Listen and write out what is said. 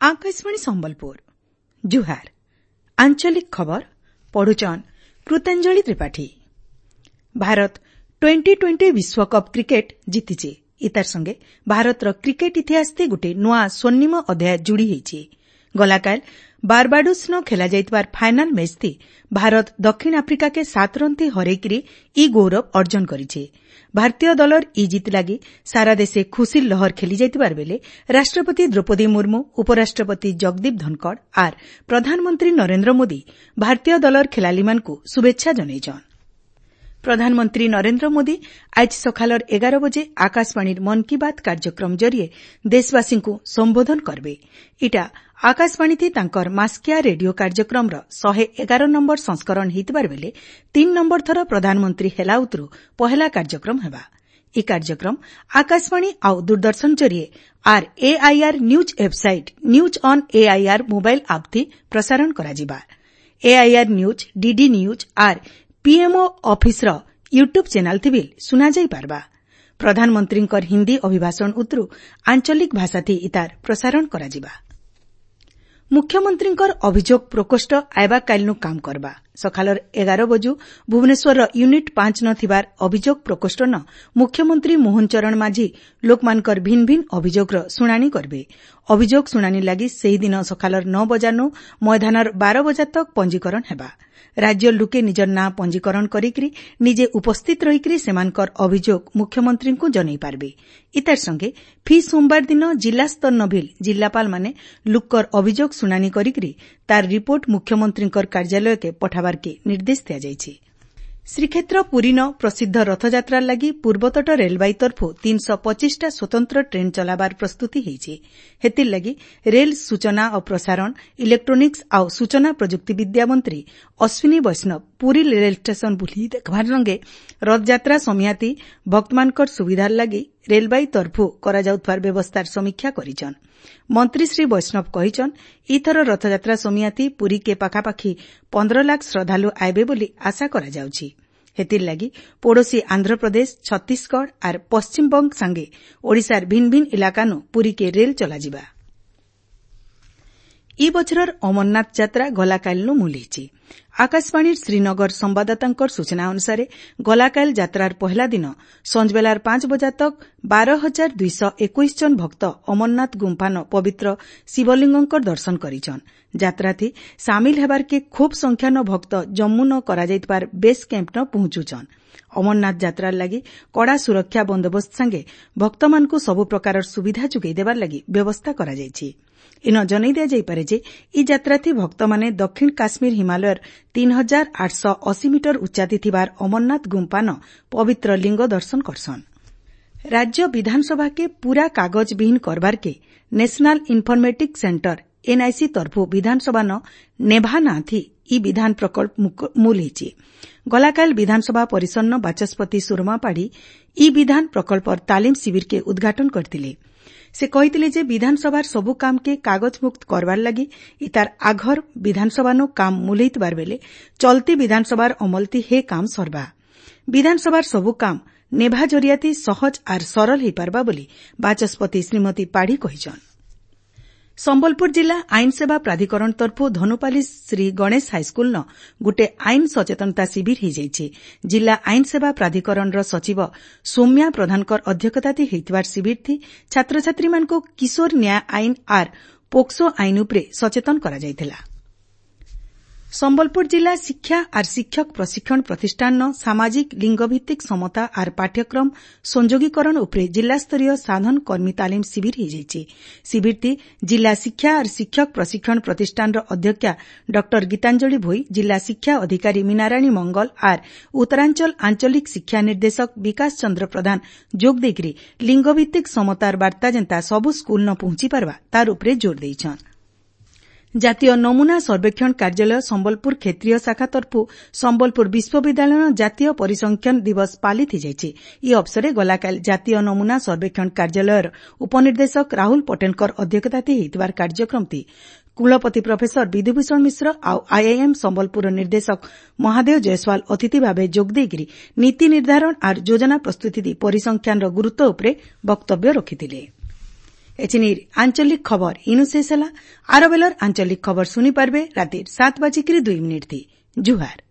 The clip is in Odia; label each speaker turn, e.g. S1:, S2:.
S1: ଆକାଶବାଣୀ ସମ୍ବଲପୁର, ଜୁହାର। ଆଞ୍ଚଳିକ ଖବର ପଢୁଛନ୍ କୃତାଞ୍ଜଳି ତ୍ରିପାଠୀ। ଭାରତ 2020 ବିଶ୍ୱକପ୍ କ୍ରିକେଟ ଜିତିଛେ। ଇତାର ସଙ୍ଗେ ଭାରତର କ୍ରିକେଟ ଇତିହାସଥି ଗୁଟେ ନୂଆ ସ୍ୱର୍ଣ୍ଣିମ ଅଧ୍ୟାୟ ଯୁଡ଼ି ହେଇଛେ। ଗଲାକାଲ ବାରବାଡୋସ୍ନ ଖେଲାଯାଇଥିବାର ଫାଇନାଲ୍ ମ୍ୟାଚ୍ଥି ଭାରତ ଦକ୍ଷିଣ ଆଫ୍ରିକାକେ 7 ରନ୍ଥି ହରେଇକିରି ଇ ଗୌରବ ଅର୍ଜନ କରିଛେ। ଭାରତୀୟ ଦଳର ଇ ଜିତ୍ ଲାଗି ସାରା ଦେଶେ ଖୁସିର ଲହର ଖେଲିଯାଇଥିବାର ବେଲେ ରାଷ୍ଟ୍ରପତି ଦ୍ରୌପଦୀ ମୁର୍ମୁ, ଉପରାଷ୍ଟ୍ରପତି ଜଗଦୀପ ଧନଖଡ଼ ଆର୍ ପ୍ରଧାନମନ୍ତ୍ରୀ ନରେନ୍ଦ୍ର ମୋଦି ଭାରତୀୟ ଦଳର ଖେଲାଲିମାନଙ୍କୁ ଶୁଭେଚ୍ଛା ଜଣାଇଛନ୍। ପ୍ରଧାନମନ୍ତ୍ରୀ ନରେନ୍ଦ୍ର ମୋଦି ଆଜ୍ ସକାଲର 11 ବଜେ ଆକାଶବାଣୀର ମନ୍ କି ବାତ୍ କାର୍ଯ୍ୟକ୍ରମ ଜରିଏ ଦେଶବାସୀଙ୍କୁ ସମ୍ବୋଧନ କରବେ। ଇଟା ଆକାଶବାଣୀଥି ତାଙ୍କର ମାସିକିଆ ରେଡିଓ କାର୍ଯ୍ୟକ୍ରମର 111 ନମ୍ବର ସଂସ୍କରଣ ହେଇଥିବାର ବେଲେ 3 ନମ୍ବର ଥର ପ୍ରଧାନମନ୍ତ୍ରୀ ହେଲା ଉତ୍ରୁ ପହେଲା କାର୍ଯ୍ୟକ୍ରମ ହେବା। ଇ କାର୍ଯ୍ୟକ୍ରମ ଆକାଶବାଣୀ ଆଉ ଦୂରଦର୍ଶନ ଜରିଏ ଆର୍ AIR news website, news on AIR mobile ଆପ୍ଥି ପ୍ରସାରଣ କରାଯିବା। ଏଆଇଆର୍ ନ୍ୟୁଜ୍, ଡିଡି ନ୍ୟୁଜ୍ ଆର୍ ପିଏମ୍ଓ ଅଫିସ୍ର ୟୁଟ୍ୟୁବ୍ ଚ୍ୟାନେଲ୍ଥି ବି ଶୁଣାଯାଇପାରବା। ପ୍ରଧାନମନ୍ତ୍ରୀଙ୍କର ହିନ୍ଦୀ ଅଭିଭାଷଣ ଉତ୍ରୁ ଆଞ୍ଚଳିକ ଭାଷାଥି ଇତାର ପ୍ରସାରଣ କରାଯିବା। ମୁଖ୍ୟମନ୍ତ୍ରୀଙ୍କର ଅଭିଯୋଗ ପ୍ରକୋଷ୍ଠ ଆଇବା କାଲିନୁ କାମ କରବା। ସକାଳର 11 ବଜୁ ଭୁବନେଶ୍ୱରର ୟୁନିଟ୍ 5 ନ ଥିବାର ଅଭିଯୋଗ ପ୍ରକୋଷ୍ଠନ ମୁଖ୍ୟମନ୍ତ୍ରୀ ମୋହନ ଚରଣ ମାଝୀ ଲୋକମାନଙ୍କର ଭିନ୍ନ ଭିନ୍ନ ଅଭିଯୋଗର ଶୁଣାଣି କରିବେ। ଅଭିଯୋଗ ଶୁଣାଣି ଲାଗି ସେହିଦିନ ସକାଳର 9 ବଜାନୁ ମଇଦାନର 12 ବଜା ତକ୍ ପଞ୍ଜୀକରଣ ହେବା। ରାଜ୍ୟ ଲୁକେ ନିଜର ନାଁ ପଞ୍ଜୀକରଣ କରିକିରି ନିଜେ ଉପସ୍ଥିତ ରହିକିରି ସେମାନଙ୍କର ଅଭିଯୋଗ ମୁଖ୍ୟମନ୍ତ୍ରୀଙ୍କୁ ଜଣାଇ ପାରବେ। ଇତାର ସଙ୍ଗେ ଫି ସୋମବାର ଦିନ ଜିଲ୍ଲାସ୍ତର ଭିଲ୍ ଜିଲ୍ଲାପାଳମାନେ ଲୁକର ଅଭିଯୋଗ ଶୁଣାଣି କରିକିରି ତାର ରିପୋର୍ଟ ମୁଖ୍ୟମନ୍ତ୍ରୀଙ୍କର କାର୍ଯ୍ୟାଳୟକେ ପଠାବାର୍କେ ନିର୍ଦ୍ଦେଶ ଦିଆଯାଇଛି। ଶ୍ରୀକ୍ଷେତ୍ର ପୁରୀନ ପ୍ରସିଦ୍ଧ ରଥଯାତ୍ରା ଲାଗି ପୂର୍ବତଟ ରେଳବାଇ ତରଫୁ 325ଟା ସ୍ୱତନ୍ତ୍ର ଟ୍ରେନ୍ ଚଲାବାର ପ୍ରସ୍ତୁତି ହେଇଛି। ହେତିର୍ଲାଗି ରେଲ୍ ସୂଚନା ଓ ପ୍ରସାରଣ, ଇଲେକ୍ଟ୍ରୋନିକ୍ସ ଆଉ ସୂଚନା ପ୍ରଯୁକ୍ତିବିଦ୍ୟା ମନ୍ତ୍ରୀ ଅଶ୍ୱିନୀ ବୈଷ୍ଣବ ପୁରୀ ରେଲ୍ ଷ୍ଟେସନ ବୁଲି ଦେଖବାର ସଙ୍ଗେ ରଥଯାତ୍ରା ସମିଆତି ଭକ୍ତମାନଙ୍କର ସୁବିଧାର ଲାଗି ରେଳବାଇ ତରଫୁ କରାଯାଉଥିବାର ବ୍ୟବସ୍ଥାର ସମୀକ୍ଷା କରିଛନ୍। ମନ୍ତ୍ରୀ ଶ୍ରୀ ବୈଷ୍ଣବ କହିଛନ୍, ଇଥର ରଥଯାତ୍ରା ସମିଆତି ପୁରୀକେ ପାଖାପାଖି 15 ଲାଖ ଶ୍ରଦ୍ଧାଳୁ ଆଇବେ ବୋଲି ଆଶା କରାଯାଉଛି। ହେତିର୍ଲାଗି ପଡ଼ୋଶୀ ଆନ୍ଧ୍ରପ୍ରଦେଶ, ଛତିଶଗଡ଼ ଆର୍ ପଶ୍ଚିମବଙ୍ଗ ସାଙ୍ଗେ ଓଡ଼ିଶାର ଭିନ୍ନ ଭିନ୍ନ ଇଲାକାନୁ ପୁରୀକେ ରେଲ୍ ଚଲାଯିବା। ଇ ବଛରର ଅମରନାଥ ଯାତ୍ରା ଗଲାକାଲିନୁ ମୂଲ୍ ହେଇଛି। ଆକାଶବାଣୀର ଶ୍ରୀନଗର ସମ୍ବାଦଦାତାଙ୍କର ସୂଚନା ଅନୁସାରେ ଗଲାକାଲ ଯାତ୍ରାର ପହେଲା ଦିନ ସଞ୍ଜବେଲାର 5 ବଜା ତକ୍ 12,221 ଜଣ ଭକ୍ତ ଅମରନାଥ ଗୁମ୍ଫାନ ପବିତ୍ର ଶିବଲିଙ୍ଗଙ୍କର ଦର୍ଶନ କରିଛନ୍। ଯାତ୍ରାଥି ସାମିଲ ହେବାର୍କେ ଖୁବ୍ ସଂଖ୍ୟାନ ଭକ୍ତ ଜମ୍ମୁନ କରାଯାଇଥିବାର ବେସ୍ କ୍ୟାମ୍ପନ ପହଞ୍ଚୁଛନ୍। ଅମରନାଥ ଯାତ୍ରାର ଲାଗି କଡ଼ା ସୁରକ୍ଷା ବନ୍ଦୋବସ୍ତ ସାଙ୍ଗେ ଭକ୍ତମାନଙ୍କୁ ସବୁ ପ୍ରକାରର ସୁବିଧା ଯୋଗାଇ ଦେବାର ଲାଗି ବ୍ୟବସ୍ଥା କରାଯାଇଛି। ଇନ ଜଣାଇ ଦିଆଯାଇପାରେ ଯେ ଇ ଯାତ୍ରାଥି ଭକ୍ତମାନେ ଦକ୍ଷିଣ କାଶ୍ମୀର ହିମାଳୟର 3880 ମିଟର ଉଚ୍ଚାତି ଥିବାର ଅମରନାଥ ଗୁମ୍ଫାନ ପବିତ୍ର ଲିଙ୍ଗ ଦର୍ଶନ କରସନ୍। ରାଜ୍ୟ ବିଧାନସଭାକେ ପୂରା କାଗଜବିହୀନ କରବାର୍କେ ନ୍ୟାସନାଲ ଇନ୍ଫର୍ମେଟିକ୍ ସେଣ୍ଟର ଏନ୍ଆଇସି ତରଫୁ ବିଧାନସଭାନ ନେଭା ନାଁଥି ଇ ବିଧାନ ପ୍ରକଳ୍ପ ମୂଲ୍ ହେଇଛି। ଗଲାକାଲ ବିଧାନସଭା ପରିସରନ ବାଚସ୍ପତି ସୁରମା ପାଢ଼ୀ ଇ ବିଧାନ ପ୍ରକଳ୍ପର ତାଲିମ ଶିବିରକେ ଉଦ୍ଘାଟନ କରିଥିଲେ। ସେ କହିଥିଲେ ଯେ ବିଧାନସଭାର ସବୁ କାମକେ କାଗଜମୁକ୍ତ କରବାର ଲାଗି ଇତାର ଆଘର ବିଧାନସଭାନୁ କାମ ମୂଲ୍ ହେଇଥିବାର ବେଲେ ଚଲତି ବିଧାନସଭାର ଅମଲତି ହେ କାମ ସରବା। ବିଧାନସଭାର ସବୁ କାମ ନେଭା ଜରିଆତି ସହଜ ଆର୍ ସରଲ ହେଇପାରବା ବୋଲି ବାଚସ୍ପତି ଶ୍ରୀମତୀ ପାଢ଼ୀ କହିଛନ୍। ସମ୍ବଲପୁର ଜିଲ୍ଲା ଆଇନ ସେବା ପ୍ରାଧିକରଣ ତରଫୁ ଧନୁପାଲି ଶ୍ରୀ ଗଣେଶ ହାଇସ୍କୁଲନ ଗୁଟେ ଆଇନ ସଚେତନତା ଶିବିର ହେଇଯାଇଛି। ଜିଲ୍ଲା ଆଇନ ସେବା ପ୍ରାଧିକରଣର ସଚିବ ସୌମ୍ୟା ପ୍ରଧାନଙ୍କର ଅଧ୍ୟକ୍ଷତାଥି ହେଇଥିବାର ଶିବିରଥି ଛାତ୍ରଛାତ୍ରୀମାନଙ୍କୁ କିଶୋର ନ୍ୟାୟ ଆଇନ ଆର୍ ପୋକ୍ସୋ ଆଇନ ଉପରେ ସଚେତନ କରାଯାଇଥିଲା। ସମ୍ବଲପୁର ଜିଲ୍ଲା ଶିକ୍ଷା ଆର୍ ଶିକ୍ଷକ ପ୍ରଶିକ୍ଷଣ ପ୍ରତିଷ୍ଠାନର ସାମାଜିକ ଲିଙ୍ଗଭିତ୍ତିକ ସମତା ଆର୍ ପାଠ୍ୟକ୍ରମ ସଂଯୋଗୀକରଣ ଉପରେ ଜିଲ୍ଲାସ୍ତରୀୟ ସାଧନ କର୍ମୀ ତାଲିମ ଶିବିର ହେଇଯାଇଛି। ଶିବିରଟି ଜିଲ୍ଲା ଶିକ୍ଷା ଆର୍ ଶିକ୍ଷକ ପ୍ରଶିକ୍ଷଣ ପ୍ରତିଷ୍ଠାନର ଅଧ୍ୟକ୍ଷା ଡକ୍ଟର ଗୀତାଞ୍ଜଳି ଭୋଇ, ଜିଲ୍ଲା ଶିକ୍ଷା ଅଧିକାରୀ ମୀନାରାଣୀ ମଙ୍ଗଲ ଆର୍ ଉତ୍ତରାଞ୍ଚଳ ଆଞ୍ଚଳିକ ଶିକ୍ଷା ନିର୍ଦ୍ଦେଶକ ବିକାଶ ଚନ୍ଦ୍ର ପ୍ରଧାନ ଯୋଗ ଦେଇକରି ଲିଙ୍ଗଭିତ୍ତିକ ସମତାର ବାର୍ତ୍ତା ଯେନ୍ତା ସବୁ ସ୍କୁଲନ ପହଞ୍ଚି ପାରବା ତାର ଉପରେ ଜୋର ଦେଇଛନ୍। ଜାତୀୟ ନମୁନା ସର୍ବେକ୍ଷଣ କାର୍ଯ୍ୟାଳୟ ସମ୍ବଲପୁର କ୍ଷେତ୍ରୀୟ ଶାଖା ତରଫୁ ସମ୍ବଲପୁର ବିଶ୍ୱବିଦ୍ୟାଳୟର ଜାତୀୟ ପରିସଂଖ୍ୟାନ ଦିବସ ପାଳିତ ହୋଇଯାଇଛି। ଏହି ଅବସରରେ ଗଲାକାଲି ଜାତୀୟ ନମୁନା ସର୍ବେକ୍ଷଣ କାର୍ଯ୍ୟାଳୟର ଉପନିର୍ଦ୍ଦେଶକ ରାହୁଲ ପଟେଲଙ୍କର ଅଧ୍ୟକ୍ଷତାରେ ହୋଇଥିବା କାର୍ଯ୍ୟକ୍ରମଟି କୁଳପତି ପ୍ରଫେସର ବିଧୁଭୂଷଣ ମିଶ୍ର ଆଉ ଆଇଆଇଏମ୍ ସମ୍ବଲପୁରର ନିର୍ଦ୍ଦେଶକ ମହାଦେବ ଜୟସ୍ୱାଲ ଅତିଥି ଭାବେ ଯୋଗଦେଇକରି ନୀତି ନିର୍ଦ୍ଧାରଣ ଆର୍ ଯୋଜନା ପ୍ରସ୍ତୁତି ପରିସଂଖ୍ୟାନର ଗୁରୁତ୍ୱ ଉପରେ ବକ୍ତବ୍ୟ ରଖିଥିଲେ। ଏଛିନିର ଆଞ୍ଚଳିକ ଖବର ଇନୁ ଶେଷ ହେଲା। ଆର ବେଲର ଆଞ୍ଚଳିକ ଖବର ଶୁନି ପାରବେ ରାତିର 7:02 ଥି। ଜୁହାର।